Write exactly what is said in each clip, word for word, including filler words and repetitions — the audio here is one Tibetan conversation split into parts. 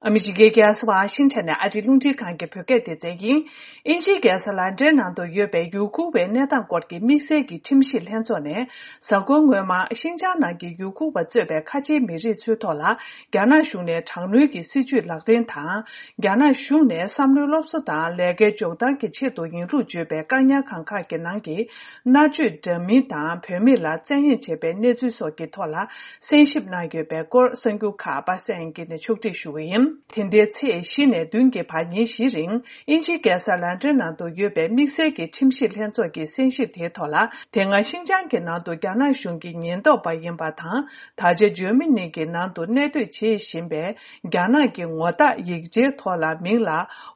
ཨ་མི་རི་ཀའི་རྒྱལ་ས་ཝ་ཤིང་ཊོན་ནས་ཨ་རིའི་རླུང་འཕྲིན་ཁང་གི་བོད་སྐད་སྡེ་ཚན་ཡིན། དབྱིན་ཇིའི་རྒྱལ་ས་ལན་ཀྲན་ནང་དུ་ཡོད་པའི་ཡུ་གུར་བའི་གནས་སྟངས་སྐོར་གྱི་དམིགས་བསལ་གྱི་ཁྲིམས་ཞིབ་ལྷན་ཚོགས་ནས། གཟའ་འཁོར་སྔོན་མ་ཤིན་ཅང་ནང་གི་ཡུ་གུར་བ་གཙོས་པའི་ཁ་ཆེའི་མི་རིགས་ཚོའི་ཐོག་ལ། རྒྱ་ནག་གཞུང་ནས་དྲག་གནོན་གྱི་སྲིད་བྱུས་ལག་ལེན་དང་། རྒྱ་ནག་གཞུང་ནས་བསམ་བློའི་སློབ་གསོ་དང་ལས་ཀའི་འཇོན་ཐང་གི་ཆེད་དུ་ཡིན་ལུགས་བརྗོད་པའི་བཀག་ཉར་ཁང་ཁག་གི་ནང་གི་མནར་གཅོད་འདྲ་མིན་དང་། བུད་མེད་ལ་བཙན་གཡེམ་བྱས་པའི་གནས་ཚུལ་སོགས་ཀྱི་ཐོག་ལ་གསན་ཞིབ་གནང་ཡོད་པའི་སྐོར། གསར་འགྱུར་ཁག་པ་སངས་དབྱངས་སྐྱིད་ནས་ཕྱོགས་སྒྲིག་ཞུ་གི་ཡིན། དེ་ཟླའི་ཚེས་བཞི་ནས་བདུན་གྱི་བར་ཉིན་བཞིའི་རིང་། དབྱིན་ཇིའི་རྒྱལ་ས་ལན་ཀྲན་ནང་དུ་ཡོད་པའི་དམིགས་བསལ་གྱི་ཁྲིམས་ཞིབ་ལྷན་ཚོགས་ཀྱི་གསན་ཞིབ་དེའི་ཐོག་ལ། དེ་སྔ་ཤིན་ཅང་གི་ནང་དུ་རྒྱ་ནག་གཞུང་གི་ཉེན་རྟོག་པ་ཡིན་པ་དང་། ད་ཆ་འཇར་མ་ནི་གི་ནང་དུ་གནས་སྡོད་བྱེད་བཞིན་པའི་རྒྱ་ནག་གི་ངོ་རྟགས་ཡིག་ཆའི་ཐོག་ལ་མིང་ལ་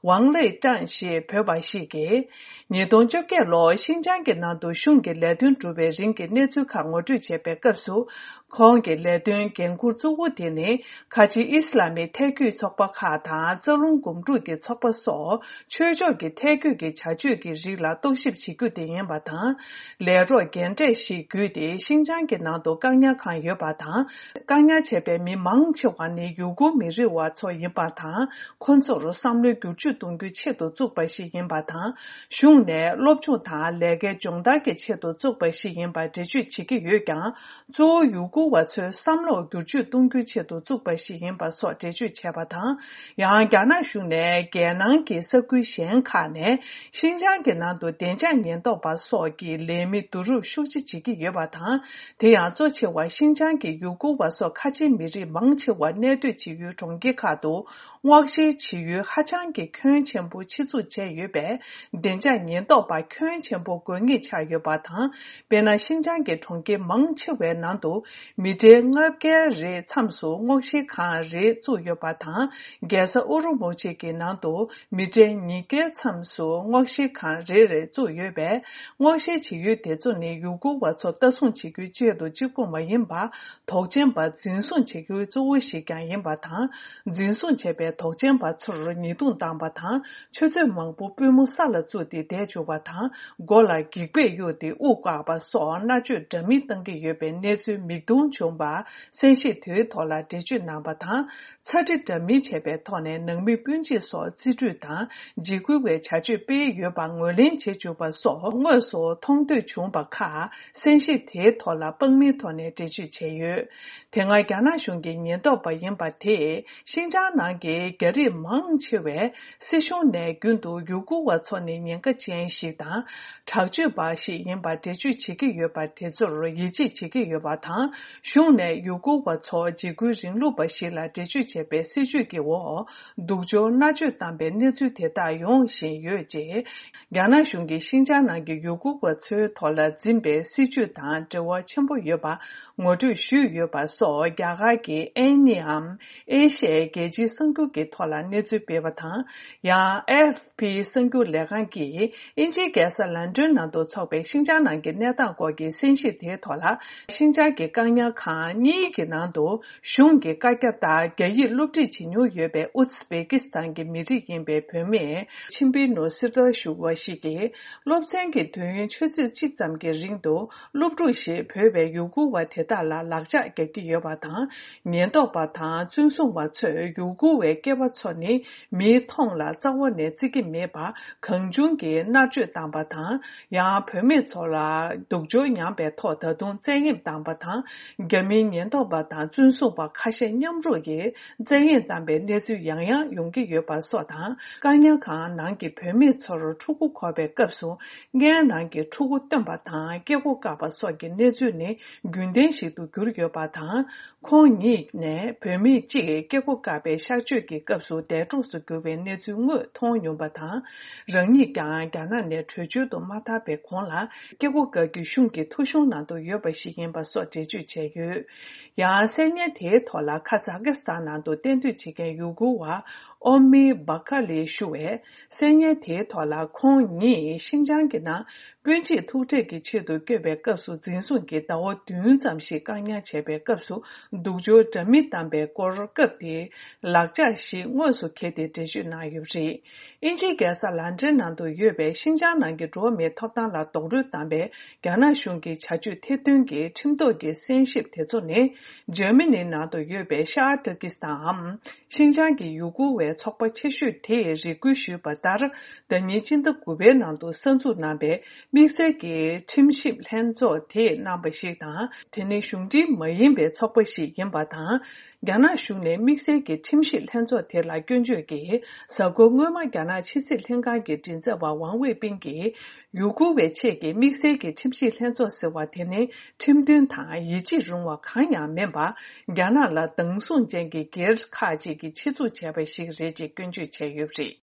ཝང་ལེ་ཀྲང་ཞེས་འབོད་པ་ཞིག་གིས། ཉིས་སྟོང་བཅོ་བརྒྱད་ལོར་ཤིན་ཅང་གི་ནང་དུ་གཞུང་གི་ལས་དོན་སྒྲུབ་པའི་རིང་གི་གནས་ཚུལ་ཁག་ངོ་སྤྲོད་བྱས་པའི་སྐབས་སུ། ཁོང་གི་ལས་དོན་འགན་འཁུར་གཙོ་བོ་དེ་ནི། ཁ་ཆེའི་ཨི་སི་ལ་མི་ཐལ་སྐྱོད་ཚོགས་པ་ཁག་དང་། རྩ་རླུང་སྒོམ་སྒྲུབ་ཀྱི་ཚོགས་པ་སོགས། ཆོས་ཕྱོགས་ཀྱི་ཐལ་སྐྱོད་ཀྱི་བྱ་སྤྱོད་ཀྱི་རིགས་ལ་རྟོག་ཞིབ་བྱེད་རྒྱུ་དེ་ཡིན་པ་དང་། ལས་རོགས་རྒན་གྲས་ཤིག་བརྒྱུད་དེ། ཤིན་ཅང་གི་ནང་དུ་བཀག་ཉར་ཁང་ཡོད་པ་དང་། བཀག་ཉར་བྱས་པའི་མི་མང་ཆེ་བ་ནི་ཡུ་གུར་མི་རིགས་བ་ཚོ་ཡིན་པ་དང་། ཁོ་ཚོར་བསམ་བློའི་བསྒྱུར་བཅོས་གཏོང་རྒྱུའི་ཆེད་དུ་བཙུགས་པ་ཞིག་ཡིན་པ་དང་། གཞུང་ནས་སློབ་སྦྱོང་དང་ལས་ཀའི་སྦྱོང་བརྡར་གྱི་ཆེད་དུ་བཙུགས་པ་ཞིག་ཡིན་པར་འགྲེལ་བརྗོད་བྱེད་ཀྱི་ཡོད་ཀྱང་། གཙོ་བོ་ཡུ་གུར་བ་ཚོའི་བསམ་བློར་བསྒྱུར་བཅོས་གཏོང་རྒྱུའི་ཆེད་དུ་བཙུགས་པ་ཞིག་ཡིན་པ་སོགས་འགྲེལ་བརྗོད་བྱས་པ་དང་། ཡང་། རྒྱ་ནག་གཞུང་ནས་རྒྱལ་ནང་གི་ས་ཁུལ་གཞན་ཁག་ནས་ཤིན་ཅང་གི་ནང་དུ་བདེ་འཇགས་ཉེན་རྟོག་པ་སོགས་ཀྱི་ལས་མི་བསྡུ་རུབ་ཤུགས་ཆེ་བྱེད་ཀྱི་ཡོད་པ་དང་། དེ་ཡང་གཙོ་ཆེ་བ་ཤིན་ཅང་གི་ཡུ་གུར་བ་སོགས་ཁ་ཆེའི་མི་རིགས་མང་ཆེ་བ་གནས་སྡོད་བྱེད་ཡུལ་གྲོང་ཁྱེར་ཁག་ཏུ། སྔོག་བཤེར་བྱེད་ཡུལ་ཧ་ཅང་གི་ཁྱོན་ཆེན་པོ་ཆེད་འཛུགས་བྱས་ཡོད་པས། བདེ་འཇགས་ཉེན་རྟོག་པ་ཁྱོན་ཆེན་པོ་དགོས་ངེས་ཆགས་ཡོད་པ་དང་། དཔེར་ན། ཤིན་ཅང་གི་གྲོང་ཁྱེར་མང་ཆེ་བའི་ནང་དུ། མི་ཊར་ལྔ་བརྒྱ་རེའི་མཚམས་སུ་སྔོག་བཤེར་ཁང་རེ་བཙུགས་ཡོད་པ་དང་། རྒྱལ་ས་ཨུ་རུ་མུ་ཆི་གི་ནང་དུ། མི་ཊར་ཉིས་བརྒྱའི་མཚམས་སུ་སྔོག་བཤེར་ཁང་རེ་རེ་བཙུགས་ཡོད་པས། སྔོག་བཤེར་བྱེད་ཡུལ་དེ་ཚོ་ནི་ཡུ་གུར་བ་ཚོ་ལྟ་སྲུང་བྱེད་རྒྱུའི་ཆེད་དུ་གཅིག་པུ་མ་ཡིན་པར། དོགས་ཅན་པ་འཛིན་བཟུང་བྱེད་རྒྱུའི་གཙོ་བོ་ཞིག་ཀྱང་ཡིན་པ་དང་། འཛིན་བཟུང་བྱས་པའི་དོགས་ཅན་པ་ཚོར་ཉེས་རྡུང་བཏང་བ་དང་། ཆུ་ཚོད་མང་པོ་པུས་མོ་ས་ལ་བཙུགས་ཏེ་བསྡད་བཅུག་པ་དང་། མགོ་ལ་འགྱིག་པས་གཡུགས་ཏེ་དབུགས་བཀག་པ་སོགས་མནར་གཅོད་འདྲ་མིན་བཏང་གི་ཡོད་པའི་གནས་ཚུལ་མིག་མཐོང་བྱུང་བར། གསན་ཞིབ་དེའི་ཐོག་ལ་འགྲེལ་བརྗོད་གནང་བ་དང་། ཚ་འདྲི་འདྲ་མིན་བྱས་པའི་ཐོག་ནས་ནང་མི་སྤུན་མཆེད་སོགས་རྩིས་སྤྲོད་དང་། འཇིགས་སྐུལ་བའི་བྱ་སྤྱོད་སྤེལ་ཡོད་པ་ངོས་ལེན་བྱེད་བཅུག་པ་སོགས་དངོས་སུ་མཐོང་ཐོས་བྱུང་བ་ཁག་གསན་ཞིབ་དེའི་ཐོག་ལ་དཔང་མིའི་ཐོག་ནས་འགྲེལ་བརྗོད་བྱས་ཡོད། དེ་སྔ་རྒྱ་ནག་གཞུང་གི་ཉེན་རྟོག་པ་ཡིན་པ་དེས། ཤིན་ཅང་ནང་གི་རྒྱ་རིགས་མང་ཆེ་བས་སྲིད་གཞུང་ནས་རྒྱུན་དུ་ཡུ་གུར་བ་ཚོ་ནི་ཉེན་ཁ་ཅན་ཞིག་དང་། དྲག་སྤྱོད་པ་ཞིག་ཡིན་པར་འགྲེལ་བརྗོད་བྱེད་ཀྱི་ཡོད་པ་དེ་ཚོར་ཡིད་ཆེས་བྱེད་ཀྱི་ཡོད་པ་དང་། གཞུང་ནས་ཡུ་གུར་བ་ཚོ་འཇིགས་སྐུལ་རིང་ལུགས་པ་ཞིག་ལ་འགྲེལ་བརྗོད་བྱས་པའི་སྲིད་བྱུས་ཀྱི་འོག་སྡུག་སྦྱོར་མནར་གཅོད་བཏང་པའི་གནས་ཚུལ་དེ་དག་ཡོང་བཞིན་ཡོད་ཅེས། རྒྱ་ནག་གཞུང་གིས་ཤིན་ཅང་ནང་གི་ཡུ་གུར་བ་ཚོའི་ཐོག་ལ་འཛིན་པའི་སྲིད་བྱུས་དང་འབྲེལ་བ་ཆེན་པོ་ཡོད་པ་ངོ་སྤྲོད་ཞུས་ཡོད་པ་སོགས། རྒྱ་གར་གྱི་ཨེན་ནི་འམ་ཨེ་ཤི་ཡའི་རྒྱལ་སྤྱིའི་གསར་འགྱུར་གྱི་ཐོག་ལ་གནས་ཚུལ་སྤེལ་བ་དང་། ཡང་ཨེ་ཨེཕ་པི་གསར་འགྱུར་ལས་ཁང་གིས་དབྱིན་ཇིའི་རྒྱལ་ས་ལན་ཀྲན་ནང་དུ་འཚོགས་པའི་ཤིན་ཅང་ནང་གི་གནས་སྟངས་སྐོར་གྱི་གསན་ཞིབ་དེའི་ཐོག་ལ། ཤིན་ཅང་གི་བཀག་ཉར་ཁང་གཉིས་ཀྱི་ནང་དུ་གཞུང་གི་བཀའ་རྒྱ་ལྟར་རྒྱ་ཡིག་སློབ་ཁྲིད་བྱེད་མྱོང་ཡོད་པའི་ཨུ་ཛི་བེ་ཀི་སི་ཐན་གྱི་མི་རིགས་ཡིན་པའི་བུད་མེད་ཆིན་པི་ནོ་སི་ཏྲ་ཞུ་བ་ཞིག་གིས། སློབ་ཚན་གྱི་དུས་ཡུན་ཆུ་ཚོད་གཅིག་ཙམ་གྱི་རིང་དུ་སློབ་ཕྲུག་ཞེས་འབོད་པའི་ཡུ་གུར་བ་དེ་དག་ལ་ལག་ཆགས་རྒྱག་གི་ཡོད་པ་དང་། ཉེན་རྟོག་པ་དང་བཙོན་སྲུང་བ་ཚོས་ཡུ་གུར་བའི་སྐྱེས་པ་ཚོ་ནི་མིའི་མཐོང་ལ་རྩ་བ་ནས་བརྩི་གི་མེད་པར། གང་བྱུང་གིས་མནར་གཅོད་བཏང་པ་དང་། ཡང་བུད་མེད་ཚོ་ལ་སྡུག་སྦྱོར་མྱངས་པའི་ཐོག་ད་དུང་བཙན་གཡེམ་བཏང་པ་དང་། རྒྱ་མིའི་ཉེན་རྟོག་པ་དང་བཙོན་སྲུང་བ་ཁ་ཤས་མཉམ་རུབ་ཀྱིས་བཙན་གཡེམ་བཏང་པའི་གནས་ཚུལ་ཡང་ཡང་ཡོང་གི་ཡོད་པ་སོགས་དང་། བཀག་ཉར་ཁང་ནང་གི་བུད་མེད་ཚོར་ཕྲུ་གུ་འཁོར་བའི་སྐབས་སུ། སྔས་ནང་གི་ཕྲུ་གུ་བཏོན་པ་དང་སྐྱེ་སྒོ་བཀག་པ་སོགས་ཀྱི་གནས་ཚུལ་ནི་རྒྱུན་ལྡན་ཞིག་ཏུ་གྱུར་ཡོད་པ་དང་། ཁོང་ཉིད་ནས་བུད་མེད་གཅིག་སྐྱེ་སྒོ་བཀག་པའི་གཤགས་བཅོས་ཀྱི་སྐབས་སུ་འདས་གྲོངས་སུ་གྱུར་བའི་གནས་ཚུལ་དངོས་མཐོང་མྱོང་པ་དང་། རང་ཉིད་ཀྱང་རྒྱ་ནག་ནས་བྲོས་བྱོལ་དུ་མ་ཐར་བའི་གོང་ལ། སྐྱེ་སྒོ་བཀག་རྒྱུ་གཞུང་གི་ཐོ་གཞུང་ནང་དུ་ཡོད་པ་ཞིག་ཡིན་པ་སོགས་འགྲེལ་བརྗོད་བྱས་ཡོད། ཡང་གསན་ཉན་དེའི་ཐོག་ལ་ཁ་ཛ་ཀི་སི་ཐན་ནང་དུ་གཏན་སྡོད་བྱེད་མཁན་ཡུ་གུར་བ་ཨོ་མི་བྷ་ཁ་ལི་ཞུ་བས། གསན་ཉན་དེའི་ཐོག་ལ་ཁོང་ཉིད་ཤིན་ཅང་གི་ནང་། སྤུན་མཆེད་ཐུག་འཕྲད་ཀྱི་ཆེད་དུ་བསྐྱོད་པའི་སྐབས་སུ། འཛིན་བཟུང་གིས་ཟླ་བ་བདུན་ཙམ་ཞིག་བཀག་ཉར་བྱས་པའི་སྐབས་སུ། སྡུག་སྦྱོར་འདྲ་མིན་བཏང་པའི་སྐོར། སྐབས་དེའི་ལག་ཆ་ཞིག་དངོས་སུ་འཁྱེར་ཏེ་འགྲེལ་བརྗོད་གནང་ཡོད་པ་རེད། དབྱིན་ཇིའི་རྒྱལ་ས་ལན་ཀྲན་ནང་དུ་ཡོད་པའི་ཤིན་ཅང་ནང་གི་འགྲོ་བ་མིའི་ཐོབ་ཐང་ལ་རྡོག་རོལ་བཏང་པའི་རྒྱ་ནག་གཞུང་གི་བྱ་སྤྱོད་ཐེར་འདོན་གྱི་ཁྲིམས་ཐོག་གི་གསན་ཞིབ་དེ་ཚོ་ནི། འཇར་མ་ནི་ནང་དུ་ཡོད་པའི་ཤར་ཏུར་ཀི་སི་ཐན་འམ། ཤིན་ཅང་གི་ཡུ་གུར་བའི་ཚོགས་པ་ཆེ་ཤོས་དེས་རེ་སྐུལ་ཞུས་པ་ལྟར། ཟླ་ཉིན་སྤྱི་ཟླ་དགུ་པའི་ནང་དུ་གསར་འཛུགས་གནང་པའི་དམིགས་བསལ་གྱི་ཁྲིམས་ཞིབ་ལྷན་ཚོགས་དེས་གནང་པ་ཞིག་དང་། དེ་ནི་གཞུང་འབྲེལ་མ་ཡིན་པའི་ཚོགས་པ་ཞིག་ཡིན་པ་དང་། རྒྱ་ནག་གཞུང་ནས་དམིགས་བསལ་གྱི་ཁྲིམས་ཞིབ་ལྷན་ཚོགས་དེ་ལ་སྐྱོན་བརྗོད་ཀྱིས། གཟའ་འཁོར་སྔོན་མ་རྒྱ་ནག་ཕྱི་སྲིད་ལྷན་ཁང་གི་མགྲིན་ཚབ་པ་ཝང་ཝེ་པིན་གྱིས། ཡུ་གུར་བའི་ཆེད་ཀྱི་དམིགས་བསལ་གྱི་ཁྲིམས་ཞིབ་ལྷན་ཚོགས་ཟེར་བ་དེ་ནི་ཁྲིམས་མཐུན་དང་ཡིད་ཆེས་རུང་བ་གང་ཡང་མིན་པར། རྒྱ་ནག་ལ་སྡང་ཟུག་ཅན་གྱི་སྒེར་ཁག་ཅིག་གིས་ཆེད་འཛུགས་བྱས་པ་ཞིག་རེད་ཅེས་སྐྱོན་བརྗོད་བྱས་ཡོད་པ་རེད།